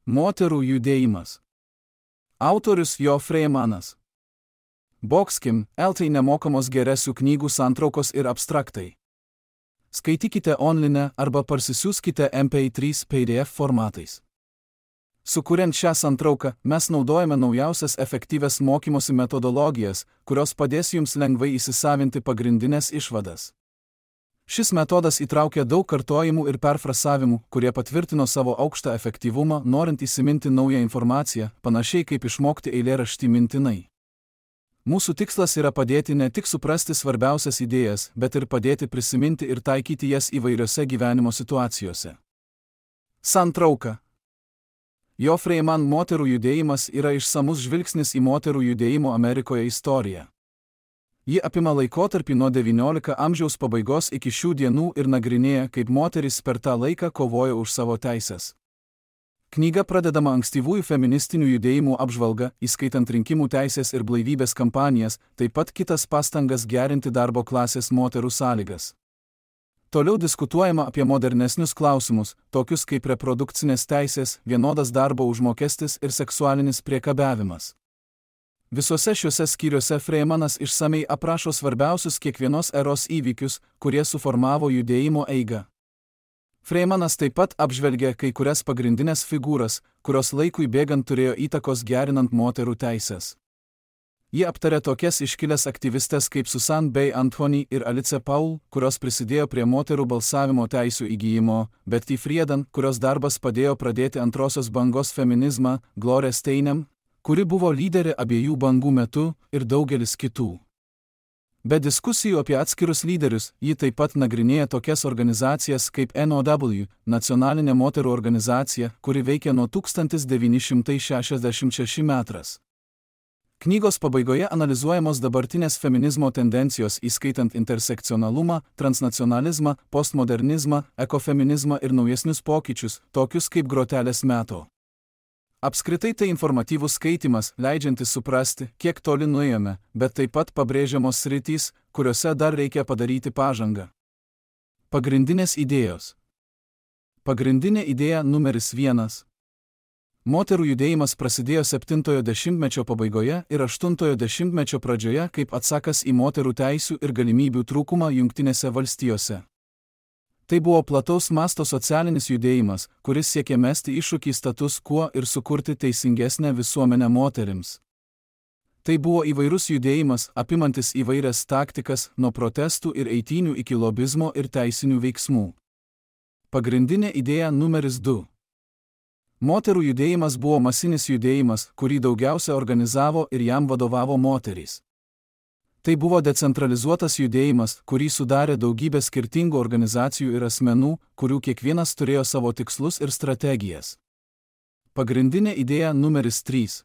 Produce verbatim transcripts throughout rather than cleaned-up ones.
Moterų judėjimas. Autorius Jo Freimanas. Boxkim, eltai nemokamos geresių knygų santraukos ir abstraktai. Skaitykite online arba parsisiųskite M P trys P D F formatais. Sukuriant šią santrauką, mes naudojame naujausias efektyvias mokymosi metodologijas, kurios padės jums lengvai įsisavinti pagrindinės išvadas. Šis metodas įtraukia daug kartojimų ir perfrasavimų, kurie patvirtino savo aukštą efektyvumą, norint įsiminti naują informaciją, panašiai kaip išmokti eilėraštį mintinai. Mūsų tikslas yra padėti ne tik suprasti svarbiausias idėjas, bet ir padėti prisiminti ir taikyti jas įvairiose gyvenimo situacijose. Santrauka. Jo Freiman moterų judėjimas yra išsamus žvilgsnis į moterų judėjimo Amerikoje istoriją. Ji apima laikotarpį nuo devyniolikto amžiaus pabaigos iki šių dienų ir nagrinėja, kaip moterys per tą laiką kovojo už savo teises. Knyga pradedama ankstyvųjų feministinių judėjimų apžvalga, įskaitant rinkimų teisės ir blaivybės kampanijas, taip pat kitas pastangas gerinti darbo klasės moterų sąlygas. Toliau diskutuojama apie modernesnius klausimus, tokius kaip reprodukcinės teisės, vienodas darbo užmokestis ir seksualinis priekabiavimas. Visuose šiuose skyriuose Freimanas išsamei aprašo svarbiausius kiekvienos eros įvykius, kurie suformavo judėjimo eigą. Freimanas taip pat apžvelgia kai kurias pagrindinės figūras, kurios laikui bėgant turėjo įtakos gerinant moterų teises. Ji aptarė tokias iškilęs aktyvistės kaip Susan B. Anthony ir Alice Paul, kurios prisidėjo prie moterų balsavimo teisių įgyjimo, Betty Friedan, kurios darbas padėjo pradėti antrosios bangos feminizmą, Gloria Steinem, kuri buvo lyderė abiejų bangų metu, ir daugelis kitų. Be diskusijų apie atskirus lyderius, ji taip pat nagrinėja tokias organizacijas kaip N O W, nacionalinė moterų organizacija, kuri veikia nuo tūkstantis devyni šimtai šešiasdešimt šeši metras. Knygos pabaigoje analizuojamos dabartinės feminizmo tendencijos, įskaitant intersekcionalumą, transnacionalizmą, postmodernizmą, ekofeminizmą ir naujesnius pokyčius, tokius kaip grotelės meto. Apskritai tai informatyvus skaitimas, leidžiantis suprasti, kiek toli nuėjome, bet taip pat pabrėžiamos sritys, kuriuose dar reikia padaryti pažangą. Pagrindinės idėjos. Pagrindinė idėja numeris vienas. Moterų judėjimas prasidėjo septintojo dešimtmečio pabaigoje ir aštuntojo dešimtmečio pradžioje kaip atsakas į moterų teisių ir galimybių trūkumą Jungtinėse valstijose. Tai buvo plataus masto socialinis judėjimas, kuris siekė mesti iššūkį status quo ir sukurti teisingesnę visuomenę moterims. Tai buvo įvairus judėjimas, apimantis įvairias taktikas, nuo protestų ir eitynių iki lobizmo ir teisinių veiksmų. Pagrindinė idėja numeris du. Moterų judėjimas buvo masinis judėjimas, kurį daugiausia organizavo ir jam vadovavo moterys. Tai buvo decentralizuotas judėjimas, kurį sudarė daugybė skirtingų organizacijų ir asmenų, kurių kiekvienas turėjo savo tikslus ir strategijas. Pagrindinė idėja numeris trys.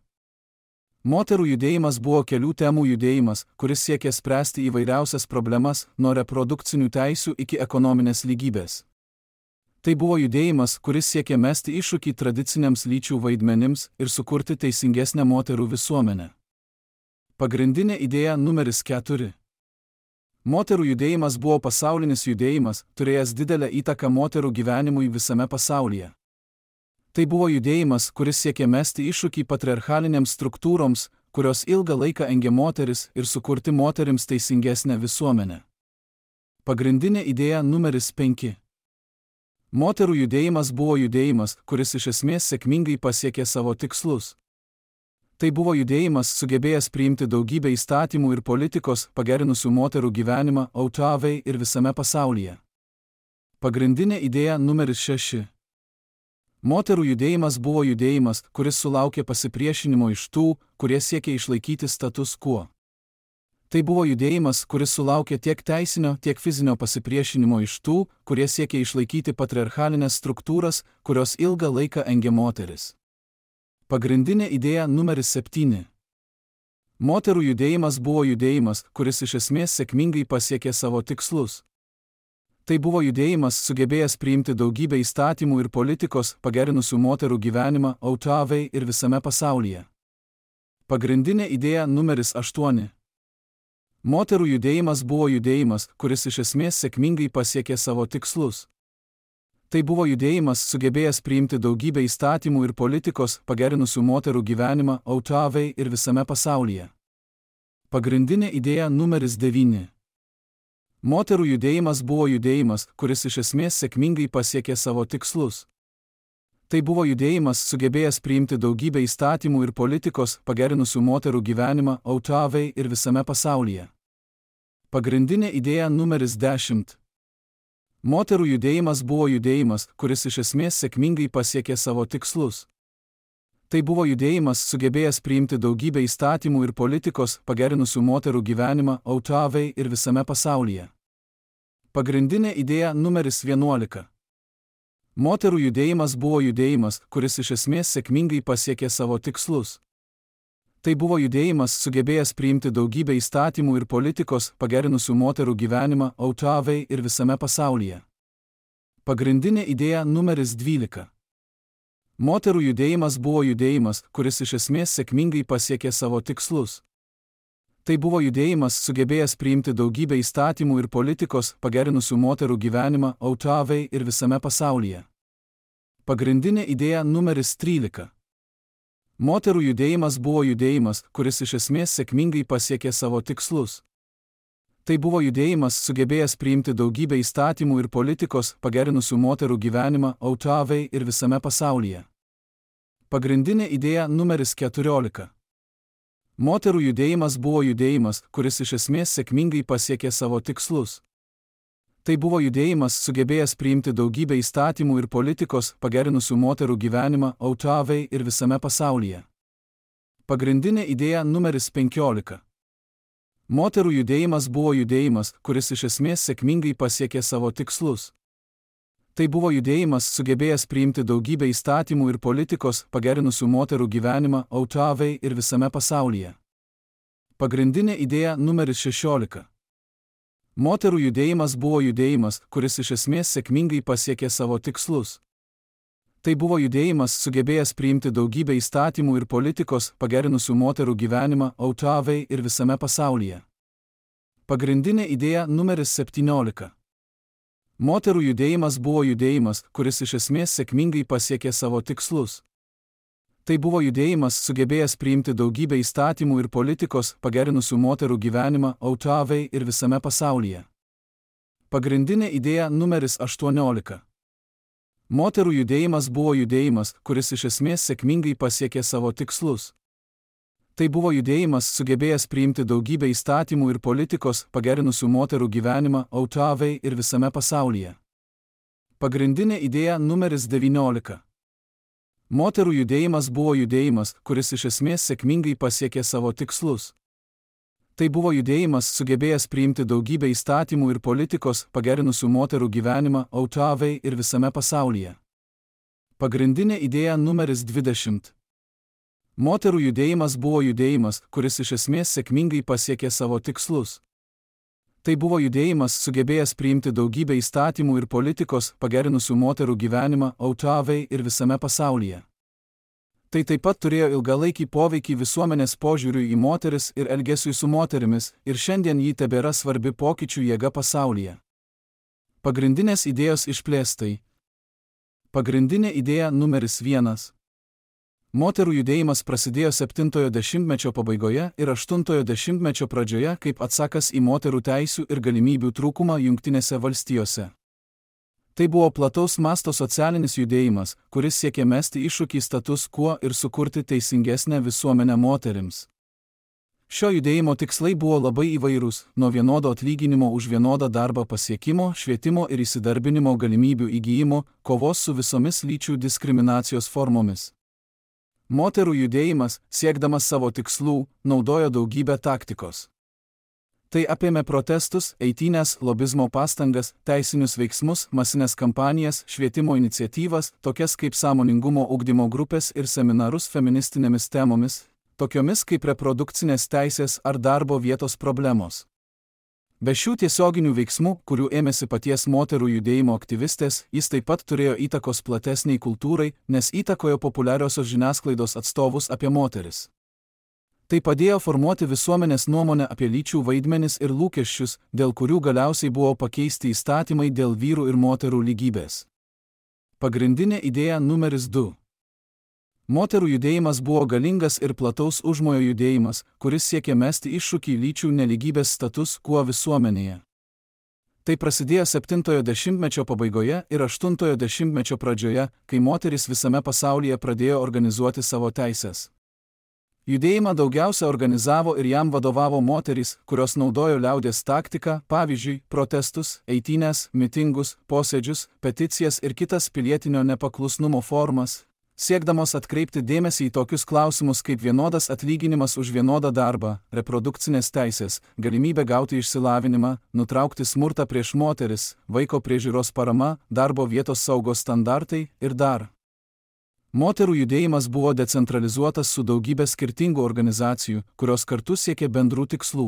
Moterų judėjimas buvo kelių temų judėjimas, kuris siekė spręsti įvairiausias problemas, nuo reprodukcinių teisių iki ekonominės lygybės. Tai buvo judėjimas, kuris siekė mesti iššūkį tradiciniams lyčių vaidmenims ir sukurti teisingesnę moterų visuomenę. Pagrindinė idėja numeris keturi. Moterų judėjimas buvo pasaulinis judėjimas, turėjęs didelę įtaką moterų gyvenimui visame pasaulyje. Tai buvo judėjimas, kuris siekė mesti iššūkį patriarchalinėms struktūroms, kurios ilgą laiką engė moteris, ir sukurti moterims teisingesnę visuomenę. Pagrindinė idėja numeris penki. Moterų judėjimas buvo judėjimas, kuris iš esmės sėkmingai pasiekė savo tikslus. Tai buvo judėjimas sugebėjęs priimti daugybę įstatymų ir politikos, pagerinusių moterų gyvenimą O T V ir visame pasaulyje. Pagrindinė idėja numeris šeši. Moterų judėjimas buvo judėjimas, kuris sulaukė pasipriešinimo iš tų, kurie siekė išlaikyti status quo. Tai buvo judėjimas, kuris sulaukė tiek teisinio, tiek fizinio pasipriešinimo iš tų, kurie siekė išlaikyti patriarchalinės struktūras, kurios ilgą laiką engė moteris. Pagrindinė idėja numeris septyni. Moterų judėjimas buvo judėjimas, kuris iš esmės sėkmingai pasiekė savo tikslus. Tai buvo judėjimas sugebėjęs priimti daugybę įstatymų ir politikos, pagerinusių moterų gyvenimą O T V ir visame pasaulyje. Pagrindinė idėja numeris aštuoni. Moterų judėjimas buvo judėjimas, kuris iš esmės sėkmingai pasiekė savo tikslus. Tai buvo judėjimas sugebėjęs priimti daugybę įstatymų ir politikos, pagerinusių moterų gyvenimą Autavai ir visame pasaulyje. Pagrindinė idėja numeris devyni. Moterų judėjimas buvo judėjimas, kuris iš esmės sėkmingai pasiekė savo tikslus. Tai buvo judėjimas sugebėjęs priimti daugybę įstatymų ir politikos, pagerinusių moterų gyvenimą Autavai ir visame pasaulyje. Pagrindinė idėja numeris dešimt. Moterų judėjimas buvo judėjimas, kuris iš esmės sėkmingai pasiekė savo tikslus. Tai buvo judėjimas sugebėjęs priimti daugybę įstatymų ir politikos, pagerinusių moterų gyvenimą Autavai ir visame pasaulyje. Pagrindinė idėja numeris vienuolika. Moterų judėjimas buvo judėjimas, kuris iš esmės sėkmingai pasiekė savo tikslus. Tai buvo judėjimas sugebėjęs priimti daugybę įstatymų ir politikos, pagerinusių moterų gyvenimą Autavai ir visame pasaulyje. Pagrindinė idėja numeris dvylika. Moterų judėjimas buvo judėjimas, kuris iš esmės sėkmingai pasiekė savo tikslus. Tai buvo judėjimas sugebėjęs priimti daugybę įstatymų ir politikos, pagerinusių moterų gyvenimą Autavai ir visame pasaulyje. Pagrindinė idėja numeris trylika. Moterų judėjimas buvo judėjimas, kuris iš esmės sėkmingai pasiekė savo tikslus. Tai buvo judėjimas sugebėjęs priimti daugybę įstatymų ir politikos, pagerinusių moterų gyvenimą Autavai ir visame pasaulyje. Pagrindinė idėja numeris keturiolika. Moterų judėjimas buvo judėjimas, kuris iš esmės sėkmingai pasiekė savo tikslus. Tai buvo judėjimas sugebėjęs priimti daugybę įstatymų ir politikos, pagerinusių moterų gyvenimą Autavai ir visame pasaulyje. Pagrindinė idėja numeris penkiolika. Moterų judėjimas buvo judėjimas, kuris iš esmės sėkmingai pasiekė savo tikslus. Tai buvo judėjimas sugebėjęs priimti daugybę įstatymų ir politikos, pagerinusių moterų gyvenimą Autavai ir visame pasaulyje. Pagrindinė idėja numeris šešiolika. Moterų judėjimas buvo judėjimas, kuris iš esmės sėkmingai pasiekė savo tikslus. Tai buvo judėjimas sugebėjęs priimti daugybę įstatymų ir politikos, pagerinusių moterų gyvenimą Autavai ir visame pasaulyje. Pagrindinė idėja numeris septyniolika. Moterų judėjimas buvo judėjimas, kuris iš esmės sėkmingai pasiekė savo tikslus. Tai buvo judėjimas sugebėjęs priimti daugybę įstatymų ir politikos, pagerinusių moterų gyvenimą Autavai ir visame pasaulyje. Pagrindinė idėja numeris aštuoniolika. Moterų judėjimas buvo judėjimas, kuris iš esmės sėkmingai pasiekė savo tikslus. Tai buvo judėjimas sugebėjęs priimti daugybę įstatymų ir politikos, pagerinusių moterų gyvenimą Autavai ir visame pasaulyje. Pagrindinė idėja numeris devyniolika. Moterų judėjimas buvo judėjimas, kuris iš esmės sėkmingai pasiekė savo tikslus. Tai buvo judėjimas sugebėjęs priimti daugybę įstatymų ir politikos, pagerinusių moterų gyvenimą Autavai ir visame pasaulyje. Pagrindinė idėja numeris dvidešimt. Moterų judėjimas buvo judėjimas, kuris iš esmės sėkmingai pasiekė savo tikslus. Tai buvo judėjimas sugebėjęs priimti daugybę įstatymų ir politikos, pagerinusių moterų gyvenimą Autavai ir visame pasaulyje. Tai taip pat turėjo ilgalaikį poveikį visuomenės požiūriui į moteris ir elgesiui su moterimis, ir šiandien ji tebėra svarbi pokyčių jėga pasaulyje. Pagrindinės idėjos išplėstai. Pagrindinė idėja numeris vienas. Moterų judėjimas prasidėjo septintojo dešimtmečio pabaigoje ir aštuntojo dešimtmečio pradžioje kaip atsakas į moterų teisių ir galimybių trūkumą Jungtinėse valstijose. Tai buvo plataus masto socialinis judėjimas, kuris siekė mesti iššūkį status quo ir sukurti teisingesnę visuomenę moterims. Šio judėjimo tikslai buvo labai įvairūs, nuo vienodo atlyginimo už vienodą darbą pasiekimo, švietimo ir įsidarbinimo galimybių įgyjimo, kovos su visomis lyčių diskriminacijos formomis. Moterų judėjimas, siekdamas savo tikslų, naudojo daugybę taktikos. Tai apėmė protestus, eitynes, lobizmo pastangas, teisinius veiksmus, masinės kampanijas, švietimo iniciatyvas, tokias kaip sąmoningumo ugdymo grupės ir seminarus feministinėmis temomis, tokiomis kaip reprodukcinės teisės ar darbo vietos problemos. Be šių tiesioginių veiksmų, kurių ėmėsi paties moterų judėjimo aktyvistės, jis taip pat turėjo įtakos platesniai kultūrai, nes įtakojo populiariosios žiniasklaidos atstovus apie moteris. Tai padėjo formuoti visuomenės nuomonę apie lyčių vaidmenis ir lūkesčius, dėl kurių galiausiai buvo pakeisti įstatymai dėl vyrų ir moterų lygybės. Pagrindinė idėja numeris du. Moterų judėjimas buvo galingas ir plataus užmojo judėjimas, kuris siekė mesti iššūkį lyčių nelygybės status quo visuomenėje. Tai prasidėjo septintojo dešimtmečio pabaigoje ir aštuntojo dešimtmečio pradžioje, kai moterys visame pasaulyje pradėjo organizuoti savo teises. Judėjimą daugiausia organizavo ir jam vadovavo moterys, kurios naudojo liaudies taktiką, pavyzdžiui, protestus, eitynes, mitingus, posėdžius, peticijas ir kitas pilietinio nepaklusnumo formas, siekdamos atkreipti dėmesį į tokius klausimus kaip vienodas atlyginimas už vienodą darbą, reprodukcinės teisės, galimybė gauti išsilavinimą, nutraukti smurtą prieš moteris, vaiko priežiūros parama, darbo vietos saugos standartai ir dar. Moterų judėjimas buvo decentralizuotas su daugybė skirtingų organizacijų, kurios kartu siekė bendrų tikslų.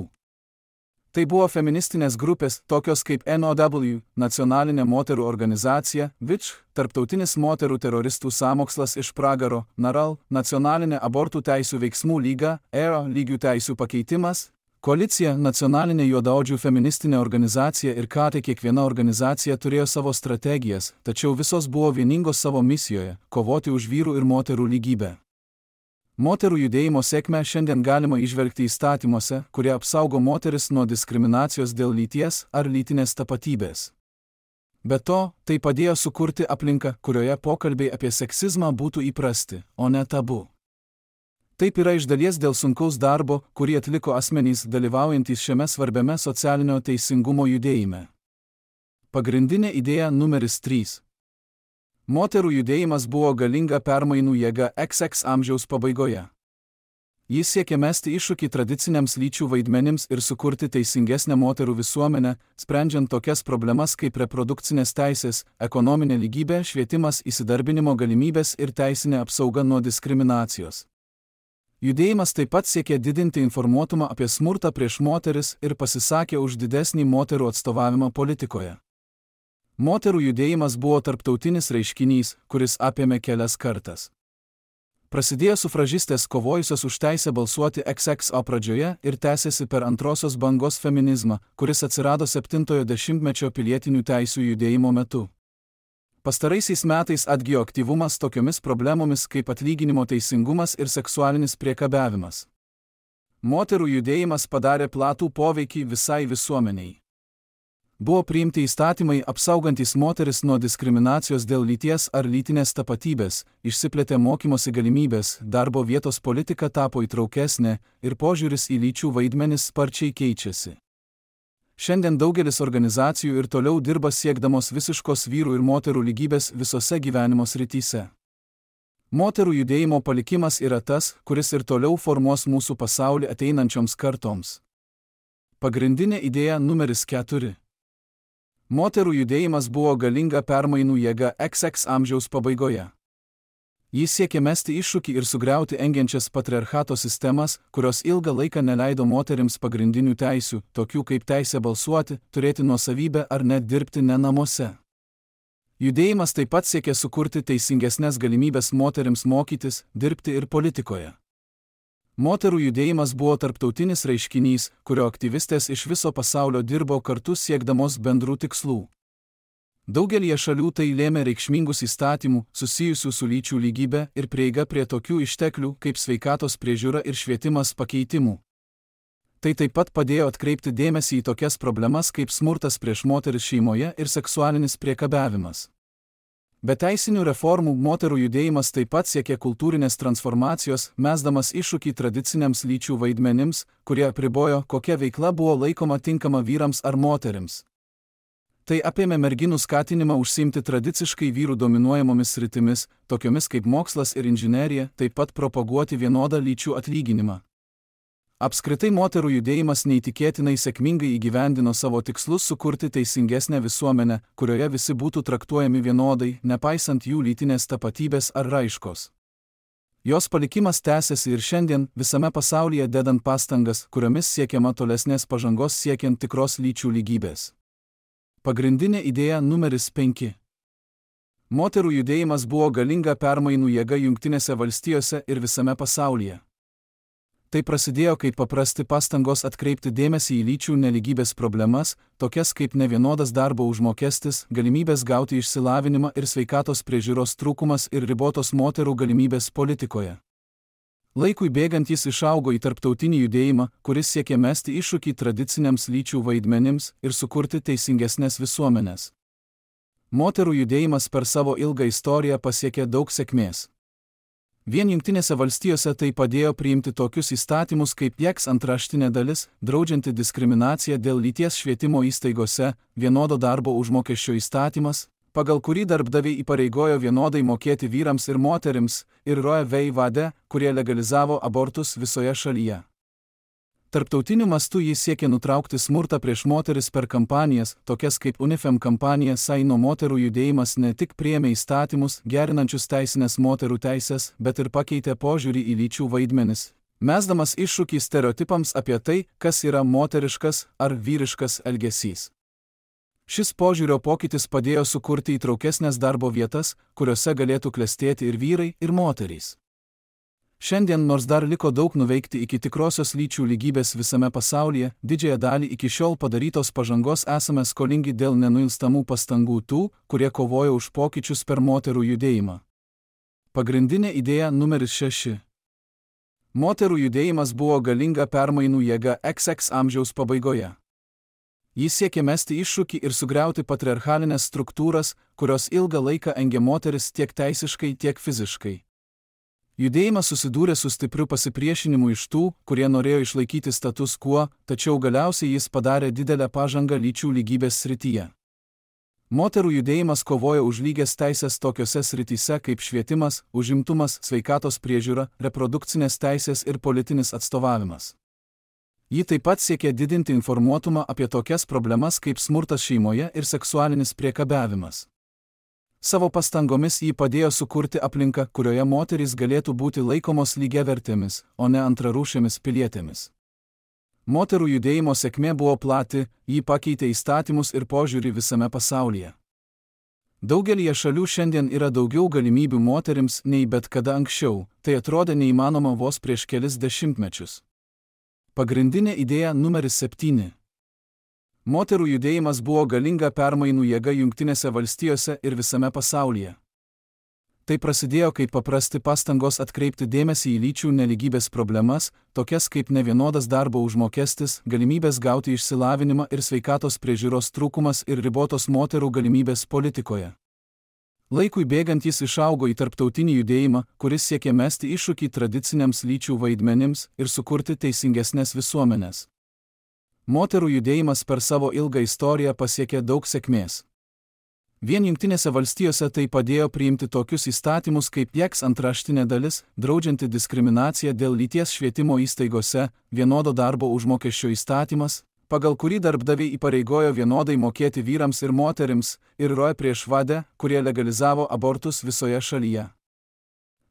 Tai buvo feministinės grupės, tokios kaip N O W, Nacionalinė moterų organizacija, V I C H, Tarptautinis moterų teroristų sąmokslas iš pragaro, NARAL, Nacionalinė abortų teisių veiksmų lyga, E R A, lygių teisių pakeitimas, Koalicija, Nacionalinė juodaodžių feministinė organizacija ir ką tai kiekviena organizacija turėjo savo strategijas, tačiau visos buvo vieningos savo misijoje – kovoti už vyrų ir moterų lygybę. Moterų judėjimo sėkmę šiandien galima įžvelgti įstatymuose, kurie apsaugo moteris nuo diskriminacijos dėl lyties ar lytinės tapatybės. Be to, tai padėjo sukurti aplinką, kurioje pokalbiai apie seksizmą būtų įprasti, o ne tabu. Taip yra iš dalies dėl sunkaus darbo, kurį atliko asmenys dalyvaujantys šiame svarbiame socialinio teisingumo judėjime. Pagrindinė idėja numeris trys. Moterų judėjimas buvo galinga permainų jėga X X amžiaus pabaigoje. Jis siekė mesti iššūkį tradiciniams lyčių vaidmenims ir sukurti teisingesnę moterų visuomenę, sprendžiant tokias problemas kaip reprodukcinės teisės, ekonominė lygybė, švietimas, įsidarbinimo galimybės ir teisinė apsauga nuo diskriminacijos. Judėjimas taip pat siekė didinti informuotumą apie smurtą prieš moteris ir pasisakė už didesnį moterų atstovavimą politikoje. Moterų judėjimas buvo tarptautinis reiškinys, kuris apėmė kelias kartas. Prasidėjo sufražistės kovojusios už teisę balsuoti X X O pradžioje ir tęsėsi per antrosios bangos feminizmą, kuris atsirado septintojo dešimtmečio pilietinių teisių judėjimo metu. Pastaraisiais metais atgijo aktyvumas tokiomis problemomis kaip atlyginimo teisingumas ir seksualinis priekabiavimas. Moterų judėjimas padarė platų poveikį visai visuomeniai. Buvo priimti įstatymai apsaugantys moteris nuo diskriminacijos dėl lyties ar lytinės tapatybės, išsiplėtė mokymosi galimybės, darbo vietos politika tapo įtraukesnė ir požiūris į lyčių vaidmenis sparčiai keičiasi. Šiandien daugelis organizacijų ir toliau dirba siekdamos visiškos vyrų ir moterų lygybės visose gyvenimo srityse. Moterų judėjimo palikimas yra tas, kuris ir toliau formuos mūsų pasaulį ateinančioms kartoms. Pagrindinė idėja numeris keturi. Moterų judėjimas buvo galinga permainų jėga X X amžiaus pabaigoje. Jis siekė mesti iššūkį ir sugriauti engiančias patriarchato sistemas, kurios ilgą laiką neleido moterims pagrindinių teisių, tokių kaip teisė balsuoti, turėti nuosavybę ar net dirbti ne namuose. Judėjimas taip pat siekė sukurti teisingesnės galimybės moterims mokytis, dirbti ir politikoje. Moterų judėjimas buvo tarptautinis reiškinys, kurio aktyvistės iš viso pasaulio dirbo kartu siekdamos bendrų tikslų. Daugelie šalių tai lėmė reikšmingus įstatymų, susijusių su lyčių lygybė ir prieiga prie tokių išteklių kaip sveikatos priežiūra ir švietimas pakeitimų. Tai taip pat padėjo atkreipti dėmesį į tokias problemas kaip smurtas prieš moteris šeimoje ir seksualinis priekabiavimas. Be teisinių reformų moterų judėjimas taip pat siekė kultūrinės transformacijos, mesdamas iššūkį tradiciniams lyčių vaidmenims, kurie apribojo, kokia veikla buvo laikoma tinkama vyrams ar moterims. Tai apėmė merginų skatinimą užsiimti tradiciškai vyrų dominuojamomis sritimis, tokiomis kaip mokslas ir inžinerija, taip pat propaguoti vienodą lyčių atlyginimą. Apskritai moterų judėjimas neįtikėtinai sėkmingai įgyvendino savo tikslus sukurti teisingesnę visuomenę, kurioje visi būtų traktuojami vienodai, nepaisant jų lytinės tapatybės ar raiškos. Jos palikimas tęsiasi ir šiandien, visame pasaulyje dedant pastangas, kuriomis siekiama tolesnės pažangos siekiant tikros lyčių lygybės. Pagrindinė idėja numeris penki. Moterų judėjimas buvo galinga permainų jėga Jungtinėse valstijose ir visame pasaulyje. Tai prasidėjo kaip paprasti pastangos atkreipti dėmesį į lyčių nelygybės problemas, tokias kaip nevienodas darbo užmokestis, galimybės gauti išsilavinimą ir sveikatos priežiūros trūkumas ir ribotos moterų galimybės politikoje. Laikui bėgant jis išaugo į tarptautinį judėjimą, kuris siekė mesti iššūkį tradiciniams lyčių vaidmenims ir sukurti teisingesnės visuomenės. Moterų judėjimas per savo ilgą istoriją pasiekė daug sėkmės. Vien Jungtinėse valstijose tai padėjo priimti tokius įstatymus kaip Jeks antraštinė dalis, draudžianti diskriminaciją dėl lyties švietimo įstaigose, vienodo darbo užmokesčio įstatymas, pagal kurį darbdaviai įpareigojo vienodai mokėti vyrams ir moterims, ir Roe v. Wade, kurie legalizavo abortus visoje šalyje. Tarptautiniu mastu jis siekė nutraukti smurtą prieš moteris per kampanijas, tokias kaip UNIFEM kampanija Saino moterų judėjimas ne tik priėmė įstatymus, gerinančius teisinės moterų teisės, bet ir pakeitė požiūrį į lyčių vaidmenis, mesdamas iššūkį stereotipams apie tai, kas yra moteriškas ar vyriškas elgesys. Šis požiūrio pokytis padėjo sukurti įtraukesnės darbo vietas, kuriuose galėtų klestėti ir vyrai, ir moterys. Šiandien, nors dar liko daug nuveikti iki tikrosios lyčių lygybės visame pasaulyje, didžiąją dalį iki šiol padarytos pažangos esame skolingi dėl nenuilstamų pastangų tų, kurie kovojo už pokyčius per moterų judėjimą. Pagrindinė idėja numeris šeši. Moterų judėjimas buvo galinga permainų jėga iks iks amžiaus pabaigoje. Jis siekė mesti iššūkį ir sugriauti patriarchalinės struktūras, kurios ilgą laiką engė moteris tiek teisiškai, tiek fiziškai. Judėjimas susidūrė su stipriu pasipriešinimu iš tų, kurie norėjo išlaikyti status quo, tačiau galiausiai jis padarė didelę pažangą lyčių lygybės srityje. Moterų judėjimas kovojo už lygias teisės tokiose srityse kaip švietimas, užimtumas, sveikatos priežiūra, reprodukcinės teisės ir politinis atstovavimas. Ji taip pat siekė didinti informuotumą apie tokias problemas kaip smurtas šeimoje ir seksualinis priekabiavimas. Savo pastangomis jį padėjo sukurti aplinką, kurioje moterys galėtų būti laikomos lygiavertėmis, o ne antrarūšėmis pilietėmis. Moterų judėjimo sėkmė buvo plati, jį pakeitė įstatymus ir požiūrį visame pasaulyje. Daugelyje šalių šiandien yra daugiau galimybių moterims nei bet kada anksčiau, tai atrodė neįmanoma vos prieš kelis dešimtmečius. Pagrindinė idėja numeris septyni. Moterų judėjimas buvo galinga permainų jėga Jungtinėse valstijose ir visame pasaulyje. Tai prasidėjo kaip paprasti pastangos atkreipti dėmesį į lyčių nelygybės problemas, tokias kaip nevienodas darbo užmokestis, galimybės gauti išsilavinimą ir sveikatos priežiūros trūkumas ir ribotos moterų galimybės politikoje. Laikui bėgant jis išaugo į tarptautinį judėjimą, kuris siekė mesti iššūkį tradiciniams lyčių vaidmenims ir sukurti teisingesnės visuomenės. Moterų judėjimas per savo ilgą istoriją pasiekė daug sėkmės. Vien Jungtinėse valstijose tai padėjo priimti tokius įstatymus kaip Jeks antraštinė dalis, draudžianti diskriminaciją dėl lyties švietimo įstaigose, vienodo darbo užmokesčio įstatymas, pagal kurį darbdaviai įpareigojo vienodai mokėti vyrams ir moterims, ir Roe prieš Wade, kurie legalizavo abortus visoje šalyje.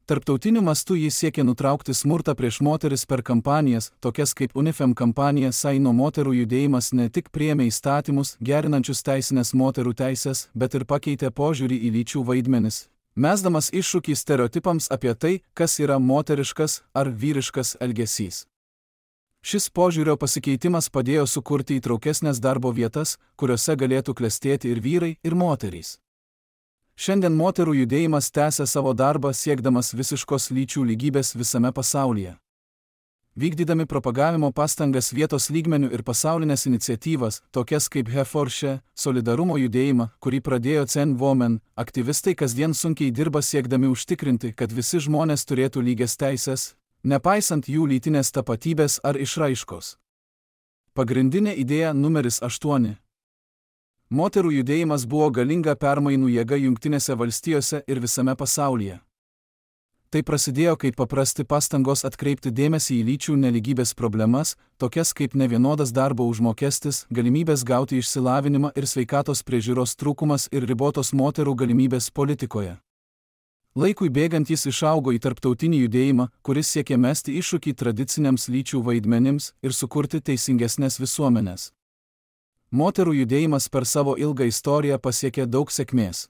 Tarptautiniu mastu jis siekė nutraukti smurtą prieš moteris per kampanijas, tokias kaip UNIFEM kampanija Saino moterų judėjimas ne tik priėmė įstatymus, gerinančius teisinės moterų teisės, bet ir pakeitė požiūrį į lyčių vaidmenis, mesdamas iššūkį stereotipams apie tai, kas yra moteriškas ar vyriškas elgesys. Šis požiūrio pasikeitimas padėjo sukurti įtraukesnės darbo vietas, kuriuose galėtų klestėti ir vyrai, ir moterys. Šiandien moterų judėjimas tęsia savo darbą siekdamas visiškos lyčių lygybės visame pasaulyje. Vykdydami propagavimo pastangas vietos lygmenių ir pasaulinės iniciatyvas, tokias kaip He for She, solidarumo judėjimą, kurį pradėjo Zen Women, aktyvistai kasdien sunkiai dirba siekdami užtikrinti, kad visi žmonės turėtų lygias teisės, nepaisant jų lytinės tapatybės ar išraiškos. Pagrindinė idėja numeris aštuoni. Moterų judėjimas buvo galinga permainų jėga Jungtinėse valstijose ir visame pasaulyje. Tai prasidėjo kaip paprasti pastangos atkreipti dėmesį į lyčių nelygybės problemas, tokias kaip nevienodas darbo užmokestis, galimybės gauti išsilavinimą ir sveikatos priežiūros trūkumas ir ribotos moterų galimybės politikoje. Laikui bėgant jis išaugo į tarptautinį judėjimą, kuris siekė mesti iššūkį tradiciniams lyčių vaidmenims ir sukurti teisingesnės visuomenės. Moterų judėjimas per savo ilgą istoriją pasiekė daug sėkmės.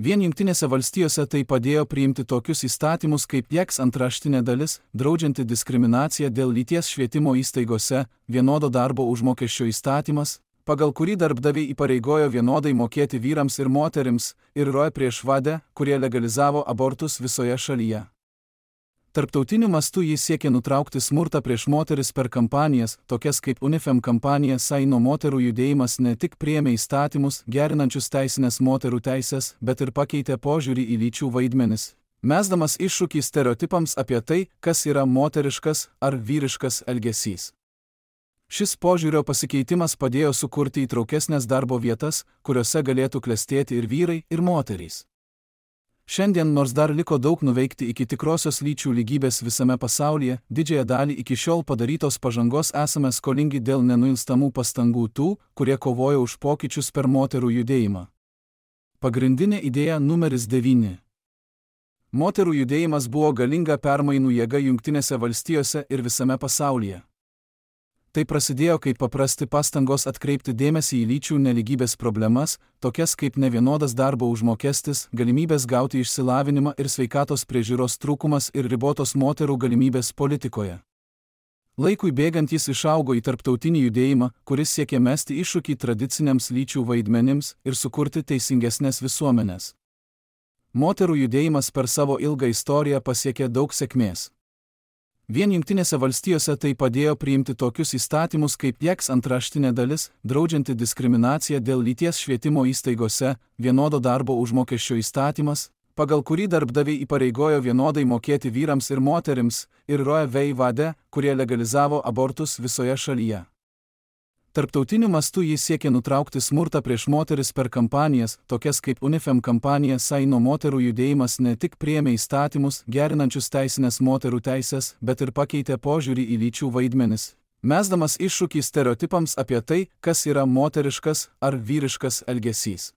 Vien Jungtinėse valstijose tai padėjo priimti tokius įstatymus kaip X antraštinė dalis, draudžianti diskriminaciją dėl lyties švietimo įstaigose, vienodo darbo užmokesčio įstatymas, pagal kurį darbdaviai įpareigojo vienodai mokėti vyrams ir moterims, ir Roe prieš Wade, kurie legalizavo abortus visoje šalyje. Tarptautiniu mastu jis siekė nutraukti smurtą prieš moteris per kampanijas, tokias kaip UNIFEM kampanija Saino moterų judėjimas ne tik priėmė įstatymus, gerinančius teisinės moterų teisės, bet ir pakeitė požiūrį į lyčių vaidmenis, mesdamas iššūkį stereotipams apie tai, kas yra moteriškas ar vyriškas elgesys. Šis požiūrio pasikeitimas padėjo sukurti įtraukesnės darbo vietas, kuriuose galėtų klestėti ir vyrai, ir moterys. Šiandien, nors dar liko daug nuveikti iki tikrosios lyčių lygybės visame pasaulyje, didžiąją dalį iki šiol padarytos pažangos esame skolingi dėl nenuilstamų pastangų tų, kurie kovojo už pokyčius per moterų judėjimą. Pagrindinė idėja numeris devyni. Moterų judėjimas buvo galinga permainų jėga Jungtinėse valstijose ir visame pasaulyje. Tai prasidėjo kaip paprasti pastangos atkreipti dėmesį į lyčių nelygybės problemas, tokias kaip nevienodas darbo užmokestis, galimybės gauti išsilavinimą ir sveikatos priežiūros trūkumas ir ribotos moterų galimybės politikoje. Laikui bėgant jis išaugo į tarptautinį judėjimą, kuris siekė mesti iššūkį tradiciniams lyčių vaidmenims ir sukurti teisingesnės visuomenės. Moterų judėjimas per savo ilgą istoriją pasiekė daug sėkmės. Vien Jungtinėse valstijose tai padėjo priimti tokius įstatymus kaip X antraštinė dalis, draudžianti diskriminaciją dėl lyties švietimo įstaigose, vienodo darbo užmokesčio įstatymas, pagal kurį darbdaviai įpareigojo vienodai mokėti vyrams ir moterims, ir Roe v. Wade, kurie legalizavo abortus visoje šalyje. Tarptautiniu mastu jis siekė nutraukti smurtą prieš moteris per kampanijas, tokias kaip UNIFEM kampanija Saino moterų judėjimas ne tik priėmė įstatymus, gerinančius teisinės moterų teisės, bet ir pakeitė požiūrį į lyčių vaidmenis, mesdamas iššūkį stereotipams apie tai, kas yra moteriškas ar vyriškas elgesys.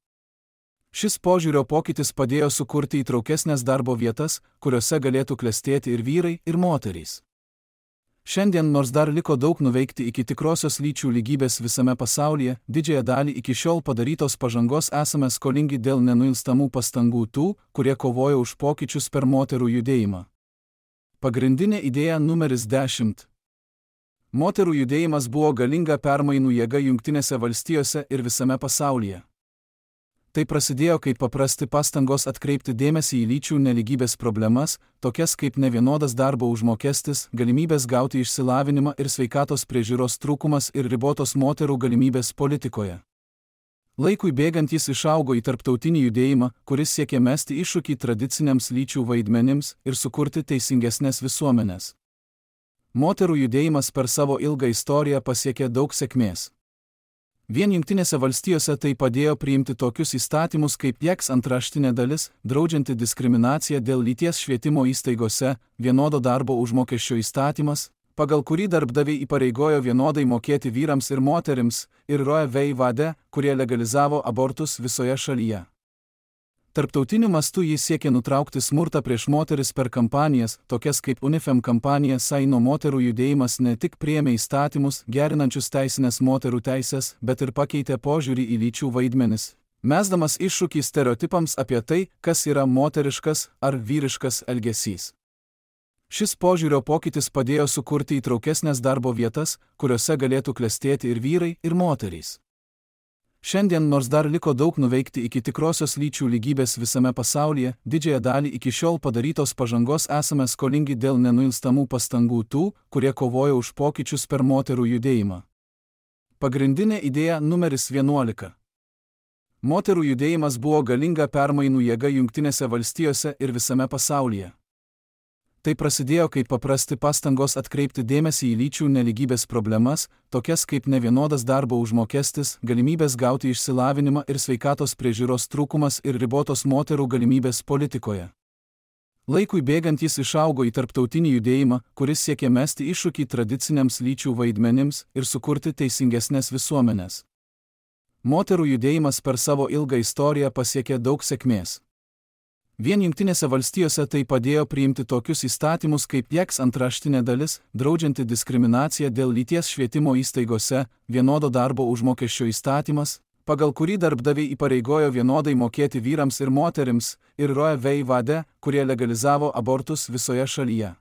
Šis požiūrio pokytis padėjo sukurti įtraukesnės darbo vietas, kuriuose galėtų klestėti ir vyrai, ir moterys. Šiandien, nors dar liko daug nuveikti iki tikrosios lyčių lygybės visame pasaulyje, didžiąją dalį iki šiol padarytos pažangos esame skolingi dėl nenuilstamų pastangų tų, kurie kovojo už pokyčius per moterų judėjimą. Pagrindinė idėja numeris dešimt. Moterų judėjimas buvo galinga permainų jėga Jungtinėse valstijose ir visame pasaulyje. Tai prasidėjo kaip paprasti pastangos atkreipti dėmesį į lyčių nelygybės problemas, tokias kaip nevienodas darbo užmokestis, galimybės gauti išsilavinimą ir sveikatos priežiūros trūkumas ir ribotos moterų galimybės politikoje. Laikui bėgant jis išaugo į tarptautinį judėjimą, kuris siekė mesti iššūkį tradiciniams lyčių vaidmenims ir sukurti teisingesnės visuomenės. Moterų judėjimas per savo ilgą istoriją pasiekė daug sėkmės. Vien Jungtinėse valstijose tai padėjo priimti tokius įstatymus kaip X antraštinė dalis, draudžianti diskriminaciją dėl lyties švietimo įstaigose, vienodo darbo užmokesčio įstatymas, pagal kurį darbdaviai įpareigojo vienodai mokėti vyrams ir moterims, ir Roe v. Wade, kurie legalizavo abortus visoje šalyje. Tarptautiniu mastu jis siekė nutraukti smurtą prieš moteris per kampanijas, tokias kaip UNIFEM kampanija Saino moterų judėjimas ne tik priėmė įstatymus, gerinančius teisinės moterų teisės, bet ir pakeitė požiūrį į lyčių vaidmenis, mesdamas iššūkį stereotipams apie tai, kas yra moteriškas ar vyriškas elgesys. Šis požiūrio pokytis padėjo sukurti įtraukesnės darbo vietas, kuriuose galėtų klestėti ir vyrai, ir moterys. Šiandien, nors dar liko daug nuveikti iki tikrosios lyčių lygybės visame pasaulyje, didžiąją dalį iki šiol padarytos pažangos esame skolingi dėl nenuilstamų pastangų tų, kurie kovojo už pokyčius per moterų judėjimą. Pagrindinė idėja numeris vienuolika. Moterų judėjimas buvo galinga permainų jėga Jungtinėse valstijose ir visame pasaulyje. Tai prasidėjo kaip paprasti pastangos atkreipti dėmesį į lyčių nelygybės problemas, tokias kaip nevienodas darbo užmokestis, galimybės gauti išsilavinimą ir sveikatos priežiūros trūkumas ir ribotos moterų galimybės politikoje. Laikui bėgant jis išaugo į tarptautinį judėjimą, kuris siekė mesti iššūkį tradiciniams lyčių vaidmenims ir sukurti teisingesnės visuomenės. Moterų judėjimas per savo ilgą istoriją pasiekė daug sėkmės. Vien Jungtinėse valstijose tai padėjo priimti tokius įstatymus kaip X antraštinė dalis, draudžianti diskriminaciją dėl lyties švietimo įstaigose, vienodo darbo užmokesčio įstatymas, pagal kurį darbdaviai įpareigojo vienodai mokėti vyrams ir moterims, ir Roe v. Wade, kurie legalizavo abortus visoje šalyje.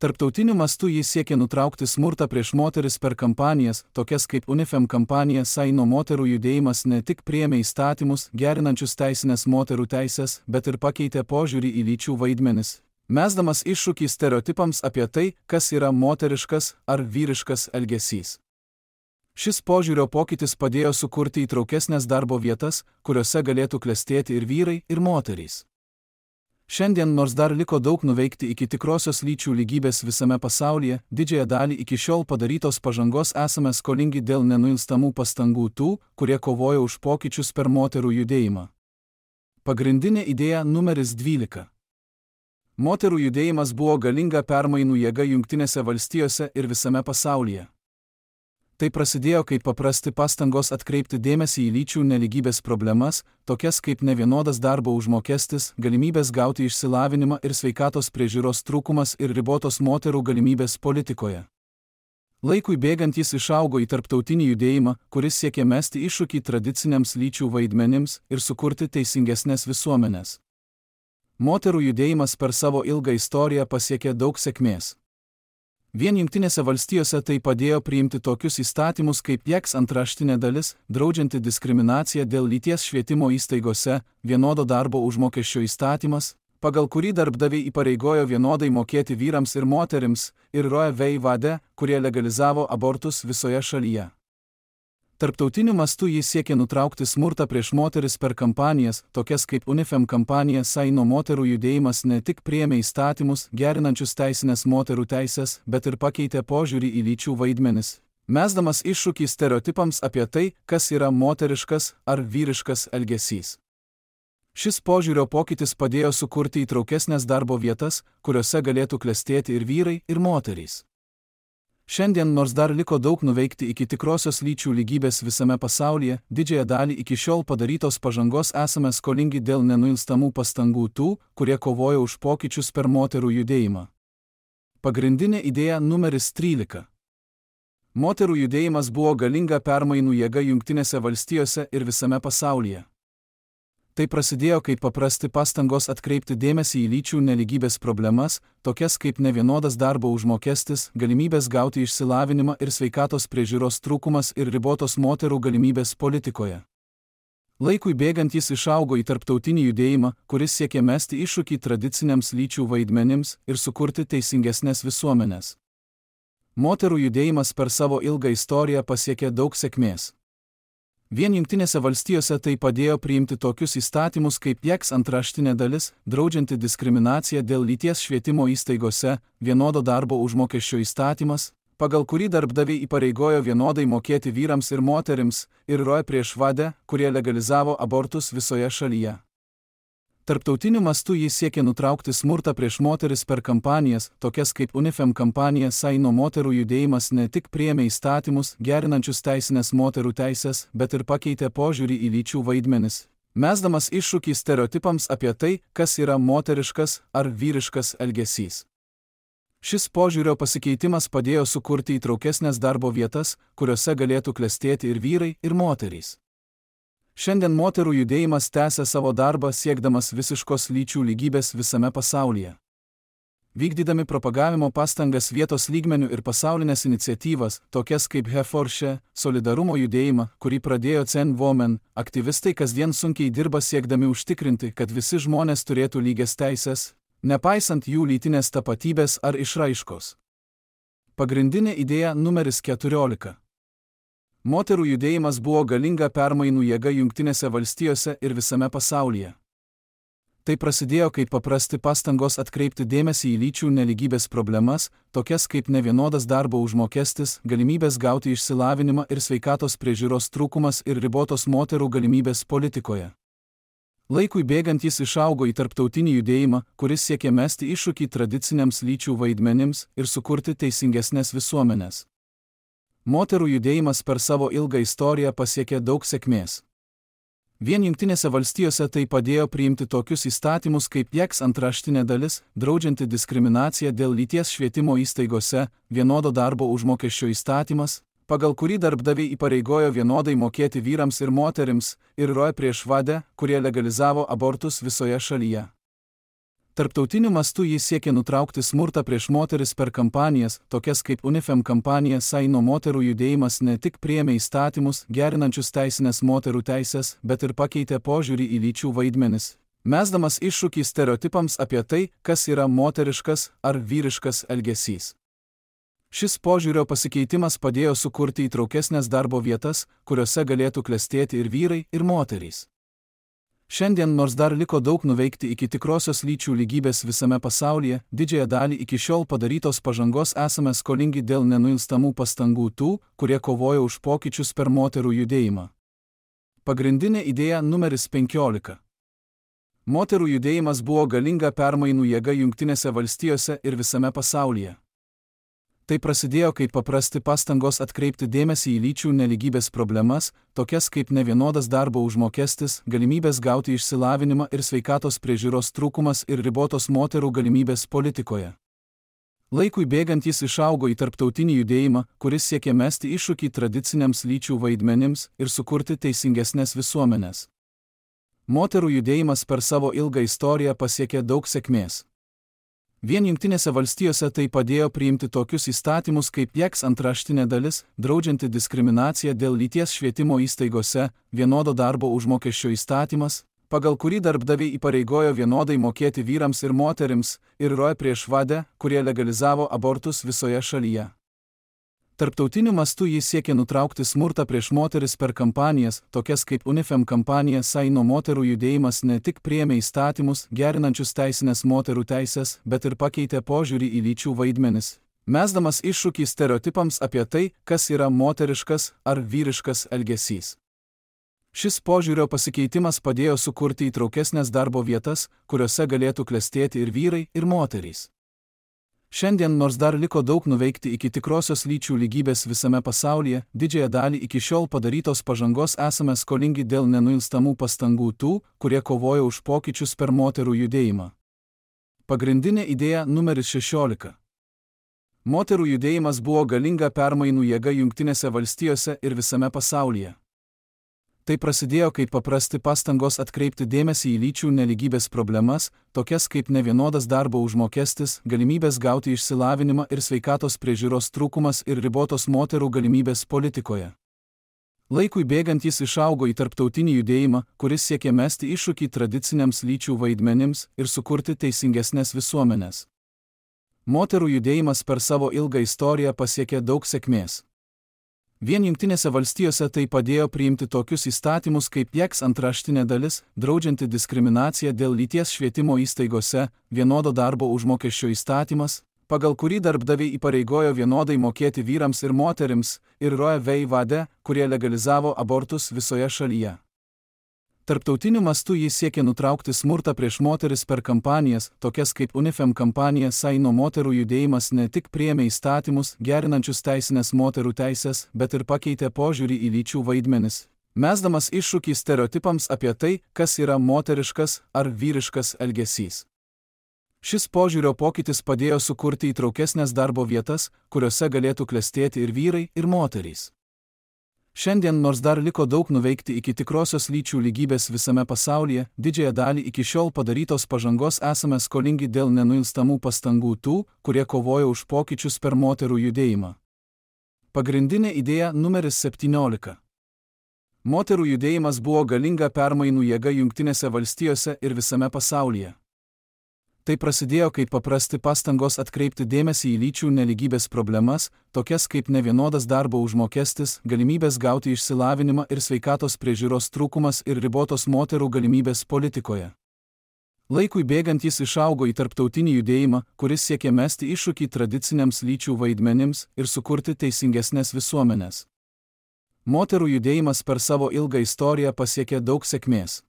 Tarptautiniu mastu jis siekė nutraukti smurtą prieš moteris per kampanijas, tokias kaip UNIFEM kampanija Saino moterų judėjimas ne tik priėmė įstatymus, gerinančius teisinės moterų teisės, bet ir pakeitė požiūrį į lyčių vaidmenis, mesdamas iššūkį stereotipams apie tai, kas yra moteriškas ar vyriškas elgesys. Šis požiūrio pokytis padėjo sukurti įtraukesnės darbo vietas, kuriuose galėtų klestėti ir vyrai, ir moterys. Šiandien, nors dar liko daug nuveikti iki tikrosios lyčių lygybės visame pasaulyje, didžiąją dalį iki šiol padarytos pažangos esame skolingi dėl nenuilstamų pastangų tų, kurie kovojo už pokyčius per moterų judėjimą. Pagrindinė idėja numeris dvylika. Moterų judėjimas buvo galinga permainų jėga Jungtinėse valstijose ir visame pasaulyje. Tai prasidėjo kaip paprasti pastangos atkreipti dėmesį į lyčių nelygybės problemas, tokias kaip nevienodas darbo užmokestis, galimybės gauti išsilavinimą ir sveikatos priežiūros trūkumas ir ribotos moterų galimybės politikoje. Laikui bėgant jis išaugo į tarptautinį judėjimą, kuris siekė mesti iššūkį tradiciniams lyčių vaidmenims ir sukurti teisingesnės visuomenės. Moterų judėjimas per savo ilgą istoriją pasiekė daug sėkmės. Vien Jungtinėse valstijose tai padėjo priimti tokius įstatymus kaip Jeks antraštinė dalis, draudžianti diskriminaciją dėl lyties švietimo įstaigose, vienodo darbo užmokesčio įstatymas, pagal kurį darbdaviai įpareigojo vienodai mokėti vyrams ir moterims, ir Roe v. Wade, kurie legalizavo abortus visoje šalyje. Tarptautiniu mastu jis siekė nutraukti smurtą prieš moteris per kampanijas, tokias kaip UNIFEM kampanija Saino moterų judėjimas ne tik priėmė įstatymus, gerinančius teisinės moterų teisės, bet ir pakeitė požiūrį į lyčių vaidmenis, mesdamas iššūkį stereotipams apie tai, kas yra moteriškas ar vyriškas elgesys. Šis požiūrio pokytis padėjo sukurti įtraukesnės darbo vietas, kuriuose galėtų klestėti ir vyrai, ir moterys. Šiandien, nors dar liko daug nuveikti iki tikrosios lyčių lygybės visame pasaulyje, didžiąją dalį iki šiol padarytos pažangos esame skolingi dėl nenuilstamų pastangų tų, kurie kovojo už pokyčius per moterų judėjimą. Pagrindinė idėja numeris trylika. Moterų judėjimas buvo galinga permainų jėga Jungtinėse valstijose ir visame pasaulyje. Tai prasidėjo kaip paprasti pastangos atkreipti dėmesį į lyčių nelygybės problemas, tokias kaip nevienodas darbo užmokestis, galimybės gauti išsilavinimą ir sveikatos priežiūros trūkumas ir ribotos moterų galimybės politikoje. Laikui bėgant jis išaugo į tarptautinį judėjimą, kuris siekė mesti iššūkį tradiciniams lyčių vaidmenims ir sukurti teisingesnės visuomenės. Moterų judėjimas per savo ilgą istoriją pasiekė daug sėkmės. Vien Jungtinėse valstijose tai padėjo priimti tokius įstatymus kaip Jeks antraštinė dalis, draudžianti diskriminaciją dėl lyties švietimo įstaigose, vienodo darbo užmokesčio įstatymas, pagal kurį darbdaviai įpareigojo vienodai mokėti vyrams ir moterims, ir Roe prieš Wade, kurie legalizavo abortus visoje šalyje. Tarptautiniu mastu jis siekė nutraukti smurtą prieš moteris per kampanijas, tokias kaip UNIFEM kampanija Saino moterų judėjimas ne tik priėmė įstatymus, gerinančius teisinės moterų teisės, bet ir pakeitė požiūrį į lyčių vaidmenis, mesdamas iššūkį stereotipams apie tai, kas yra moteriškas ar vyriškas elgesys. Šis požiūrio pasikeitimas padėjo sukurti įtraukesnės darbo vietas, kuriuose galėtų klestėti ir vyrai, ir moterys. Šiandien moterų judėjimas tęsia savo darbą siekdamas visiškos lyčių lygybės visame pasaulyje. Vykdydami propagavimo pastangas vietos lygmenių ir pasaulinės iniciatyvas, tokias kaip He for She, solidarumo judėjimą, kurį pradėjo Zen Women, aktyvistai kasdien sunkiai dirba siekdami užtikrinti, kad visi žmonės turėtų lygias teisės, nepaisant jų lytinės tapatybės ar išraiškos. Pagrindinė idėja numeris keturiolika. Moterų judėjimas buvo galinga permainų jėga Jungtinėse valstijose ir visame pasaulyje. Tai prasidėjo kaip paprasti pastangos atkreipti dėmesį į lyčių nelygybės problemas, tokias kaip nevienodas darbo užmokestis, galimybės gauti išsilavinimą ir sveikatos priežiūros trūkumas ir ribotos moterų galimybės politikoje. Laikui bėgant jis išaugo į tarptautinį judėjimą, kuris siekė mesti iššūkį tradiciniams lyčių vaidmenims ir sukurti teisingesnės visuomenės. Moterų judėjimas per savo ilgą istoriją pasiekė daug sėkmės. Vien Jungtinėse valstijose tai padėjo priimti tokius įstatymus kaip Jeks antraštinė dalis, draudžianti diskriminaciją dėl lyties švietimo įstaigose, vienodo darbo užmokesčio įstatymas, pagal kurį darbdaviai įpareigojo vienodai mokėti vyrams ir moterims, ir Roe prieš Wadę, kurie legalizavo abortus visoje šalyje. Tarptautiniu mastu jis siekė nutraukti smurtą prieš moteris per kampanijas, tokias kaip UNIFEM kampanija Saino moterų judėjimas ne tik priėmė įstatymus, gerinančius teisinės moterų teisės, bet ir pakeitė požiūrį į lyčių vaidmenis, mesdamas iššūkį stereotipams apie tai, kas yra moteriškas ar vyriškas elgesys. Šis požiūrio pasikeitimas padėjo sukurti įtraukesnės darbo vietas, kuriuose galėtų klestėti ir vyrai, ir moterys. Šiandien, nors dar liko daug nuveikti iki tikrosios lyčių lygybės visame pasaulyje, didžiąją dalį iki šiol padarytos pažangos esame skolingi dėl nenuilstamų pastangų tų, kurie kovojo už pokyčius per moterų judėjimą. Pagrindinė idėja numeris penkiolika. Moterų judėjimas buvo galinga permainų jėga Jungtinėse valstijose ir visame pasaulyje. Tai prasidėjo kaip paprasti pastangos atkreipti dėmesį į lyčių nelygybės problemas, tokias kaip nevienodas darbo užmokestis, galimybės gauti išsilavinimą ir sveikatos priežiūros trūkumas ir ribotos moterų galimybės politikoje. Laikui bėgant jis išaugo į tarptautinį judėjimą, kuris siekė mesti iššūkį tradiciniams lyčių vaidmenims ir sukurti teisingesnės visuomenės. Moterų judėjimas per savo ilgą istoriją pasiekė daug sėkmės. Vien Jungtinėse valstijose tai padėjo priimti tokius įstatymus kaip Jeks antraštinė dalis, draudžianti diskriminaciją dėl lyties švietimo įstaigose, vienodo darbo užmokesčio įstatymas, pagal kurį darbdaviai įpareigojo vienodai mokėti vyrams ir moterims, ir Roe prieš Wadę, kurie legalizavo abortus visoje šalyje. Tarptautiniu mastu jis siekė nutraukti smurtą prieš moteris per kampanijas, tokias kaip UNIFEM kampanija Saino moterų judėjimas ne tik priėmė įstatymus, gerinančius teisinės moterų teisės, bet ir pakeitė požiūrį į lyčių vaidmenis, mesdamas iššūkį stereotipams apie tai, kas yra moteriškas ar vyriškas elgesys. Šis požiūrio pasikeitimas padėjo sukurti įtraukesnės darbo vietas, kuriuose galėtų klestėti ir vyrai, ir moterys. Šiandien, nors dar liko daug nuveikti iki tikrosios lyčių lygybės visame pasaulyje, didžiąją dalį iki šiol padarytos pažangos esame skolingi dėl nenuilstamų pastangų tų, kurie kovojo už pokyčius per moterų judėjimą. Pagrindinė idėja numeris šešiolika. Moterų judėjimas buvo galinga permainų jėga Jungtinėse valstijose ir visame pasaulyje. Tai prasidėjo kaip paprasti pastangos atkreipti dėmesį į lyčių nelygybės problemas, tokias kaip nevienodas darbo užmokestis, galimybės gauti išsilavinimą ir sveikatos priežiūros trūkumas ir ribotos moterų galimybės politikoje. Laikui bėgant jis išaugo į tarptautinį judėjimą, kuris siekė mesti iššūkį tradiciniams lyčių vaidmenims ir sukurti teisingesnės visuomenės. Moterų judėjimas per savo ilgą istoriją pasiekė daug sėkmės. Vien Jungtinėse valstijose tai padėjo priimti tokius įstatymus kaip Jeks antraštinė dalis, draudžianti diskriminaciją dėl lyties švietimo įstaigose, vienodo darbo užmokesčio įstatymas, pagal kurį darbdaviai įpareigojo vienodai mokėti vyrams ir moterims, ir Roe v. Wadę, kurie legalizavo abortus visoje šalyje. Tarptautiniu mastu jis siekė nutraukti smurtą prieš moteris per kampanijas, tokias kaip UNIFEM kampanija Saino moterų judėjimas ne tik priėmė įstatymus, gerinančius teisinės moterų teisės, bet ir pakeitė požiūrį į lyčių vaidmenis, mesdamas iššūkį stereotipams apie tai, kas yra moteriškas ar vyriškas elgesys. Šis požiūrio pokytis padėjo sukurti įtraukesnės darbo vietas, kuriuose galėtų klestėti ir vyrai, ir moterys. Šiandien, nors dar liko daug nuveikti iki tikrosios lyčių lygybės visame pasaulyje, didžiąją dalį iki šiol padarytos pažangos esame skolingi dėl nenuilstamų pastangų tų, kurie kovojo už pokyčius per moterų judėjimą. Pagrindinė idėja numeris septyniolika. Moterų judėjimas buvo galinga permainų jėga Jungtinėse valstijose ir visame pasaulyje. Tai prasidėjo kaip paprasti pastangos atkreipti dėmesį į lyčių nelygybės problemas, tokias kaip nevienodas darbo užmokestis, galimybės gauti išsilavinimą ir sveikatos priežiūros trūkumas ir ribotos moterų galimybės politikoje. Laikui bėgant jis išaugo į tarptautinį judėjimą, kuris siekė mesti iššūkį tradiciniams lyčių vaidmenims ir sukurti teisingesnės visuomenės. Moterų judėjimas per savo ilgą istoriją pasiekė daug sėkmės.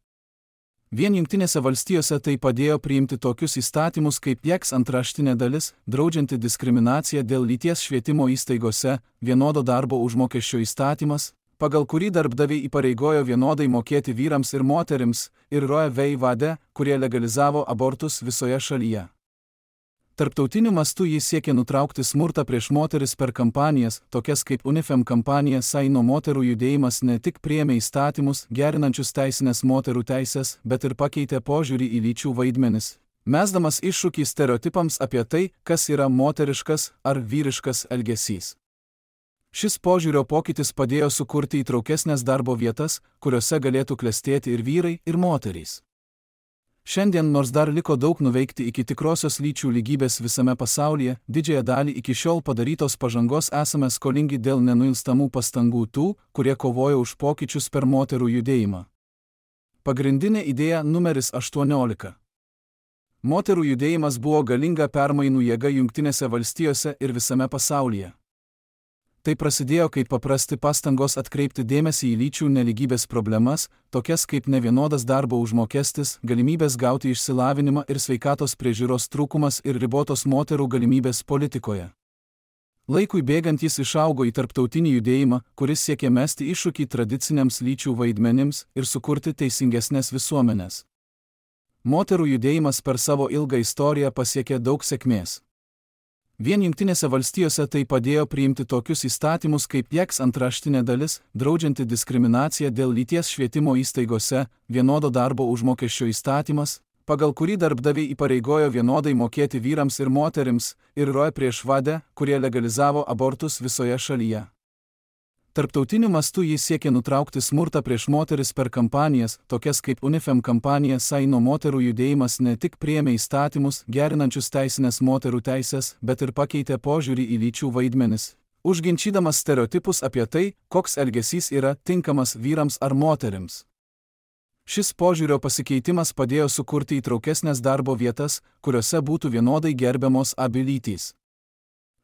Vien Jungtinėse valstijose tai padėjo priimti tokius įstatymus kaip Jeks antraštinė dalis, draudžianti diskriminaciją dėl lyties švietimo įstaigose, vienodo darbo užmokesčio įstatymas, pagal kurį darbdaviai įpareigojo vienodai mokėti vyrams ir moterims, ir Roe v. Wadę, kurie legalizavo abortus visoje šalyje. Tarptautiniu mastu jis siekia nutraukti smurtą prieš moteris per kampanijas, tokias kaip UNIFEM kampanija Saino moterų judėjimas ne tik priėmė įstatymus, gerinančius teisinės moterų teisės, bet ir pakeitė požiūrį į lyčių vaidmenis, mesdamas iššūkį stereotipams apie tai, kas yra moteriškas ar vyriškas elgesys. Šis požiūrio pokytis padėjo sukurti įtraukesnės darbo vietas, kuriuose galėtų klestėti ir vyrai, ir moterys. Šiandien, nors dar liko daug nuveikti iki tikrosios lyčių lygybės visame pasaulyje, didžiąją dalį iki šiol padarytos pažangos esame skolingi dėl nenuilstamų pastangų tų, kurie kovojo už pokyčius per moterų judėjimą. Pagrindinė idėja numeris aštuoniolika. Moterų judėjimas buvo galinga permainų jėga Jungtinėse valstijose ir visame pasaulyje. Tai prasidėjo kaip paprasti pastangos atkreipti dėmesį į lyčių nelygybės problemas, tokias kaip nevienodas darbo užmokestis, galimybės gauti išsilavinimą ir sveikatos priežiūros trūkumas ir ribotos moterų galimybės politikoje. Laikui bėgant jis išaugo į tarptautinį judėjimą, kuris siekė mesti iššūkį tradiciniams lyčių vaidmenims ir sukurti teisingesnės visuomenės. Moterų judėjimas per savo ilgą istoriją pasiekė daug sėkmės. Vien Jungtinėse valstijose tai padėjo priimti tokius įstatymus kaip J E X antraštinė dalis, draudžianti diskriminaciją dėl lyties švietimo įstaigose, vienodo darbo užmokesčio įstatymas, pagal kurį darbdaviai įpareigojo vienodai mokėti vyrams ir moterims, ir Roe prieš Wade'ą, kurie legalizavo abortus visoje šalyje. Tarptautiniu mastu jis siekia nutraukti smurtą prieš moteris per kampanijas, tokias kaip UNIFEM kampanija Saino moterų judėjimas ne tik priėmė įstatymus, gerinančius teisinės moterų teisės, bet ir pakeitė požiūrį į lyčių vaidmenis, užginčydamas stereotipus apie tai, koks elgesys yra tinkamas vyrams ar moterims. Šis požiūrio pasikeitimas padėjo sukurti įtraukesnės darbo vietas, kuriuose būtų vienodai gerbiamos abi lytys.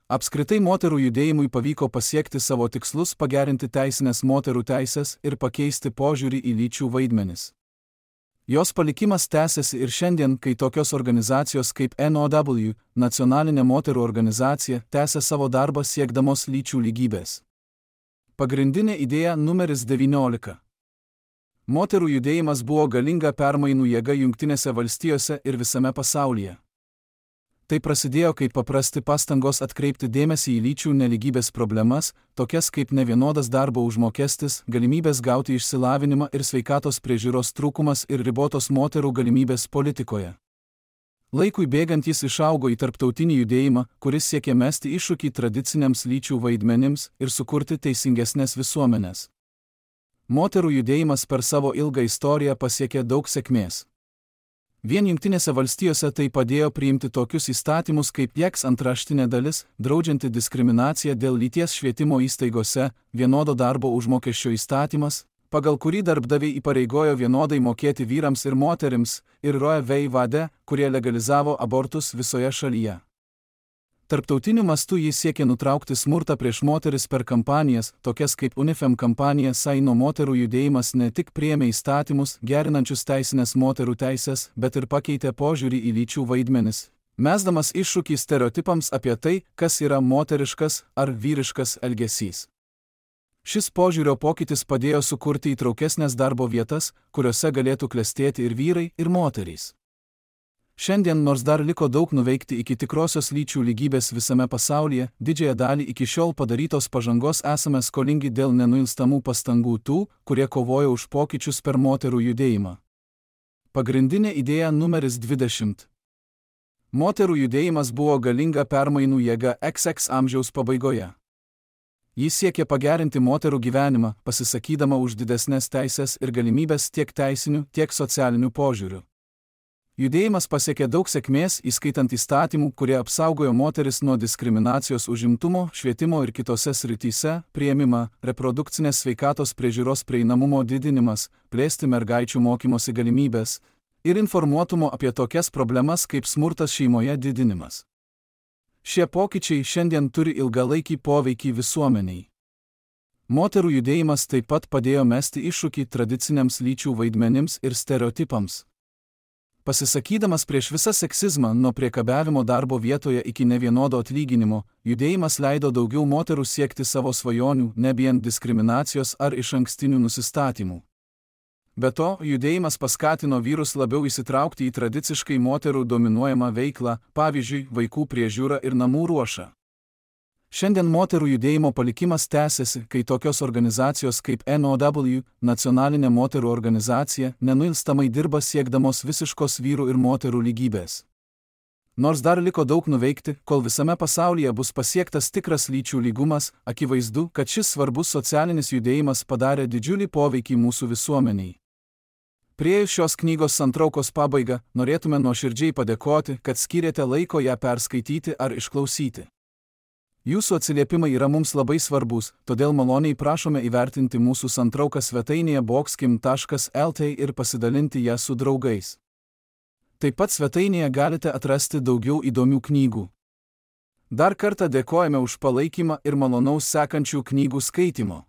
Apskritai moterų judėjimui pavyko pasiekti savo tikslus pagerinti teisinės moterų teisės ir pakeisti požiūrį į lyčių vaidmenis. Jos palikimas tęsiasi ir šiandien, kai tokios organizacijos kaip N O W, nacionalinė moterų organizacija, tęsia savo darbą siekdamos lyčių lygybės. Pagrindinė idėja numeris devyniolika. Moterų judėjimas buvo galinga permainų jėga Jungtinėse valstijose ir visame pasaulyje. Tai prasidėjo kaip paprasti pastangos atkreipti dėmesį į lyčių nelygybės problemas, tokias kaip nevienodas darbo užmokestis, galimybės gauti išsilavinimą ir sveikatos priežiūros trūkumas ir ribotos moterų galimybės politikoje. Laikui bėgant jis išaugo į tarptautinį judėjimą, kuris siekė mesti iššūkį tradiciniams lyčių vaidmenims ir sukurti teisingesnės visuomenės. Moterų judėjimas per savo ilgą istoriją pasiekė daug sėkmės. Vien Jungtinėse valstijose tai padėjo priimti tokius įstatymus kaip J E X antraštinė dalis, draudžianti diskriminaciją dėl lyties švietimo įstaigose, vienodo darbo užmokesčio įstatymas, pagal kurį darbdaviai įpareigojo vienodai mokėti vyrams ir moterims, ir Roe v. Wade'ą, kurie legalizavo abortus visoje šalyje. Tarptautiniu mastu jis siekia nutraukti smurtą prieš moteris per kampanijas, tokias kaip UNIFEM kampanija Saino moterų judėjimas ne tik priėmė įstatymus, gerinančius teisinės moterų teisės, bet ir pakeitė požiūrį į lyčių vaidmenis, mesdamas iššūkį stereotipams apie tai, kas yra moteriškas ar vyriškas elgesys. Šis požiūrio pokytis padėjo sukurti įtraukesnės darbo vietas, kuriuose galėtų klestėti ir vyrai, ir moterys. Šiandien, nors dar liko daug nuveikti iki tikrosios lyčių lygybės visame pasaulyje, didžiąją dalį iki šiol padarytos pažangos esame skolingi dėl nenuilstamų pastangų tų, kurie kovojo už pokyčius per moterų judėjimą. Pagrindinė idėja numeris dvidešimt. Moterų judėjimas buvo galinga permainų jėga X X amžiaus pabaigoje. Jis siekė pagerinti moterų gyvenimą, pasisakydama už didesnės teisės ir galimybės tiek teisinių, tiek socialinių požiūrių. Judėjimas pasiekė daug sėkmės, įskaitant įstatymų, kurie apsaugojo moteris nuo diskriminacijos užimtumo, švietimo ir kitose srityse, priėmimą, reprodukcinės sveikatos priežiūros prieinamumo didinimas, plėsti mergaičių mokymosi galimybės ir informuotumo apie tokias problemas kaip smurtas šeimoje didinimas. Šie pokyčiai šiandien turi ilgalaikį poveikį visuomeniai. Moterų judėjimas taip pat padėjo mesti iššūkį tradiciniams lyčių vaidmenims ir stereotipams. Pasisakydamas prieš visą seksizmą nuo priekabiavimo darbo vietoje iki nevienodo atlyginimo, judėjimas leido daugiau moterų siekti savo svajonių, nebijant diskriminacijos ar išankstinių nusistatymų. Be to, judėjimas paskatino vyrus labiau įsitraukti į tradiciškai moterų dominuojamą veiklą, pavyzdžiui, vaikų priežiūrą ir namų ruošą. Šiandien moterų judėjimo palikimas tęsiasi, kai tokios organizacijos kaip N O W, Nacionalinė moterų organizacija, nenuilstamai dirba siekdamos visiškos vyrų ir moterų lygybės. Nors dar liko daug nuveikti, kol visame pasaulyje bus pasiektas tikras lyčių lygumas, akivaizdu, kad šis svarbus socialinis judėjimas padarė didžiulį poveikį mūsų visuomeniai. Priėjus šios knygos santraukos pabaigą, norėtume nuoširdžiai padėkoti, kad skyrėte laiko ją perskaityti ar išklausyti. Jūsų atsiliepimai yra mums labai svarbus, todėl maloniai prašome įvertinti mūsų santrauką svetainėje boxkim taškas L T ir pasidalinti ją su draugais. Taip pat svetainėje galite atrasti daugiau įdomių knygų. Dar kartą dėkojame už palaikymą ir malonaus sekančių knygų skaitimo.